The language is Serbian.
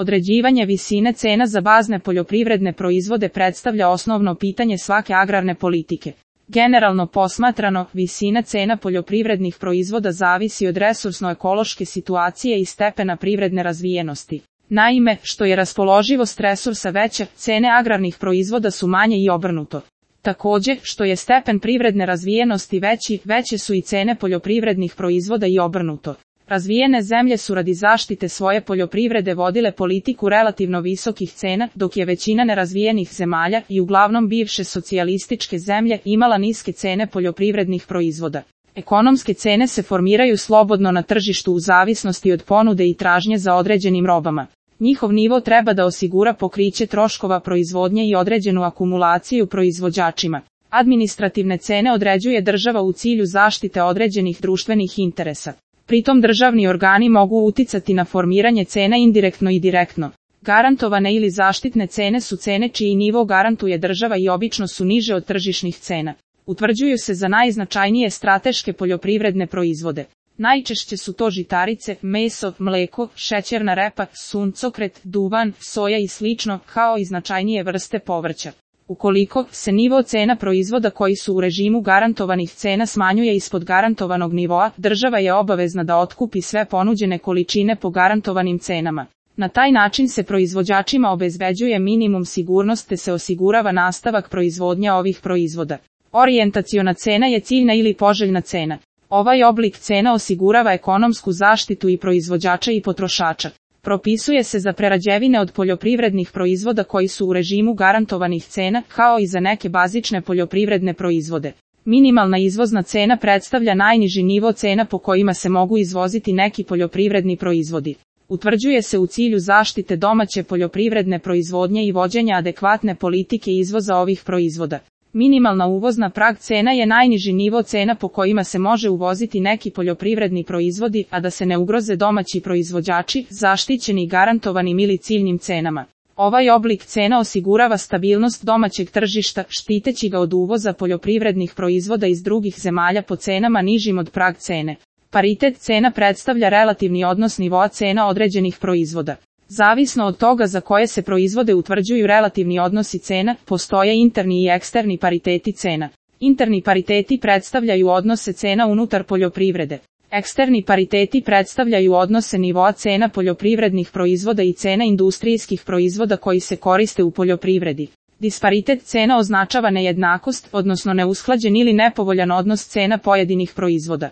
Određivanje visine cena za bazne poljoprivredne proizvode predstavlja osnovno pitanje svake agrarne politike. Generalno posmatrano, visina cena poljoprivrednih proizvoda zavisi od resursno-ekološke situacije i stepena privredne razvijenosti. Naime, što je raspoloživost resursa veća, cene agrarnih proizvoda su manje i obrnuto. Također, što je stepen privredne razvijenosti veći, veće su i cene poljoprivrednih proizvoda i obrnuto. Razvijene zemlje su radi zaštite svoje poljoprivrede vodile politiku relativno visokih cena, dok je većina nerazvijenih zemalja, i uglavnom bivše socijalističke zemlje, imala niske cene poljoprivrednih proizvoda. Ekonomske cene se formiraju slobodno na tržištu u zavisnosti od ponude i tražnje za određenim robama. Njihov nivo treba da osigura pokriće troškova proizvodnje i određenu akumulaciju proizvođačima. Administrativne cene određuje država u cilju zaštite određenih društvenih interesa. Pritom državni organi mogu uticati na formiranje cena indirektno i direktno. Garantovane ili zaštitne cene su cene čiji nivo garantuje država i obično su niže od tržišnih cena. Utvrđuju se za najznačajnije strateške poljoprivredne proizvode. Najčešće su to žitarice, meso, mleko, šećerna repa, suncokret, duvan, soja i slično, kao i značajnije vrste povrća. Ukoliko se nivo cena proizvoda koji su u režimu garantovanih cena smanjuje ispod garantovanog nivoa, država je obavezna da otkupi sve ponuđene količine po garantovanim cenama. Na taj način se proizvođačima obezbeđuje minimum sigurnost te se osigurava nastavak proizvodnje ovih proizvoda. Orijentaciona cena je ciljna ili poželjna cena. Ovaj oblik cena osigurava ekonomsku zaštitu i proizvođača i potrošača. Propisuje se za prerađevine od poljoprivrednih proizvoda koji su u režimu garantovanih cena, kao i za neke bazične poljoprivredne proizvode. Minimalna izvozna cena predstavlja najniži nivo cena po kojima se mogu izvoziti neki poljoprivredni proizvodi. Utvrđuje se u cilju zaštite domaće poljoprivredne proizvodnje i vođenja adekvatne politike izvoza ovih proizvoda. Minimalna uvozna prag cena je najniži nivo cena po kojima se može uvoziti neki poljoprivredni proizvodi, a da se ne ugroze domaći proizvođači, zaštićeni garantovanim ili ciljnim cenama. Ovaj oblik cena osigurava stabilnost domaćeg tržišta, štiteći ga od uvoza poljoprivrednih proizvoda iz drugih zemalja po cenama nižim od prag cene. Paritet cena predstavlja relativni odnos nivoa cena određenih proizvoda. Zavisno od toga za koje se proizvode utvrđuju relativni odnosi cena, postoje interni i eksterni pariteti cena. Interni pariteti predstavljaju odnose cena unutar poljoprivrede. Eksterni pariteti predstavljaju odnose nivoa cena poljoprivrednih proizvoda i cena industrijskih proizvoda koji se koriste u poljoprivredi. Disparitet cena označava nejednakost, odnosno neusklađen ili nepovoljan odnos cena pojedinih proizvoda.